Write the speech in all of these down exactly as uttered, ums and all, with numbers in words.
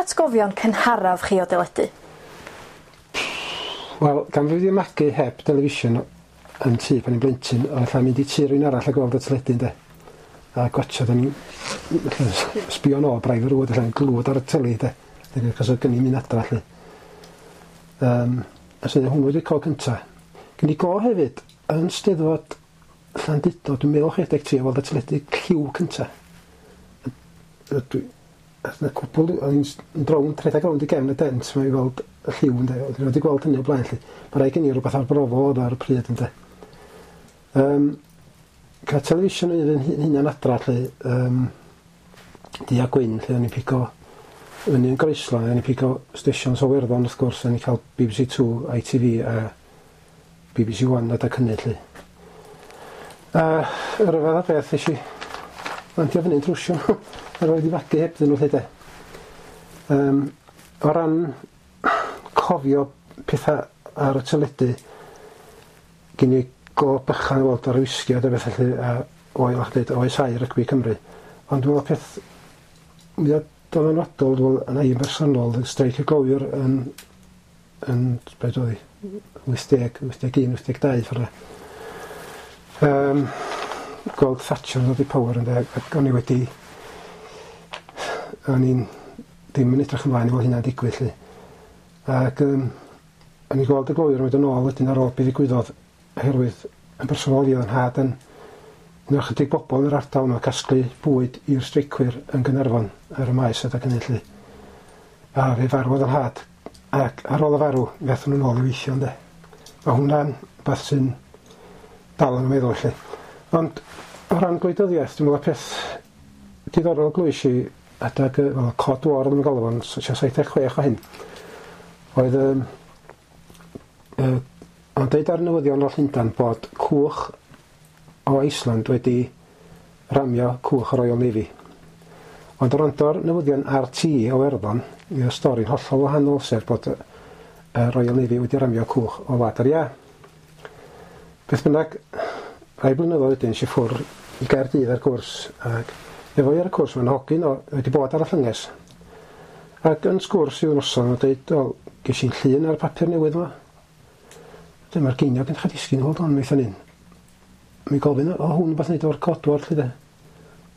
atgofion cynharaf chi o deledu? Wel, gan fi wedi magu heb television yn tŷ pan i'n blentyn, oedd allan mynd i tŷ rhywun arall a gweld y teledu, ynde. A gwatshad yn sbio nôl braidd yr wyd allan glwad ar y teli, de. Cos oedd gen i'n mynd adra, lly. Um, a sydd hwnnw wedi col cynta. Gen i go hefyd, yn Steddfod Llandudno, dwi'n meddwl chwe deg tri, o weld y teledu lliw cynta. Dwi, a cwpl, o'n i'n rownd, rhedeg rownd i gefn y dent, mae i weld y lliw, ynde. O'n i wedi gweld hynny o blaen, lly. Mae rhaid gen i rhywbeth arbrofol oedd ar y pryd, ynde. Um, cael television yn hunan adra, lly, um, du a gwyn, lle o'n i'n pigo fyny yn Groeslon, o'n i'n pigo stations o Werddon, wrth gwrs, o'n i'n cael B B C two, I T V a B B C one adag hynny, lly. A y rhyfedd o beth, nes i landio fyny'n trwsio nhw, a roedd i fagu hebddyn nhw, lle de. Um, o ran cofio pethau ar y teledu, gen i go bychan o weld ar y wisgi a beth felly, a oel o'ch dweud, oes ai rygbi Cymru. Ond dwi'n meddwl peth mwyaf dylanwadol, dwi'n meddwl, yn ein bersonol, streic y glowyr yn, yn beth oedd hi, wyth deg, wyth deg un, wyth deg dau, ffordd. Um, gweld Thatcher yn dod i power ynde, ac o'n i wedi, o'n i'n ddim yn edrych ymlaen i weld hynna'n digwydd, lly. Ac um, o'n i'n gweld y glowyr yn mynd yn ôl wedyn ar ôl be ddigwyddodd, oherwydd yn bersonol i oedd yn nhad yn un o'r ychydig bobl yn yr ardal yma casglu bwyd i'r streicwyr yn Gaernarfon ar y maes adag hynny, lly. A fe farwodd yn nhad, ac ar ôl y farw, fe athon nhw'n ôl i weithio, ynde. Mae hwnna'n beth sy'n dal yn y meddwl, lly. Ond o ran gwleidyddiaeth, dwi'n meddwl y peth diddorol glwys i adag, wel, Cod War yn galw fo'n saith deg chwech o hyn, oedd um, uh, ond deud ar newyddion o Llundain bod cwch o Iceland wedi ramio cwch y Royal Navy. Ond o rando'r newyddion R T o Werddon, mi oedd stori'n hollol wahanol, sef bod y Royal Navy wedi ramio cwch o Wlad yr Iâ. Beth bynnag, rai blynyddoedd wedyn, es i ffwrdd i Gaerdydd ar gwrs, ac efo i ar y cwrs mae'n hogyn o wedi bod ar y llynges. Ac yn sgwrs i'w noson, o'n dweud, wel, ges i'n llun ar y papur newydd yma. Dyma'r geiniog yn dechrau disgyn, hold on, mi un. Mi gofyn, o hwn rhywbeth wneud o'r codwar, lle de.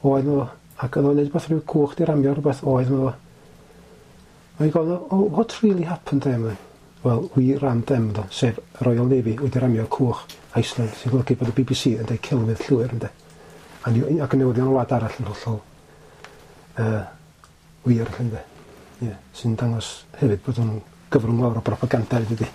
Oedd o, ac oedd o'n neud rhywbeth rhyw cwch di ramio rhywbeth, oedd o. Mae'n gofyn, oh, what really happened there, man? Well, we rammed them, do, sef Royal Navy wedi ramio cwch Iceland, sy'n golygu bod y B B C yn dweud celwydd llwyr, ynde. A ac yn newyddion o wlad arall yn hollol uh, wir, ynde. Yeah, sy'n dangos hefyd bod nhw'n gyfrwng mawr o propaganda, dydy.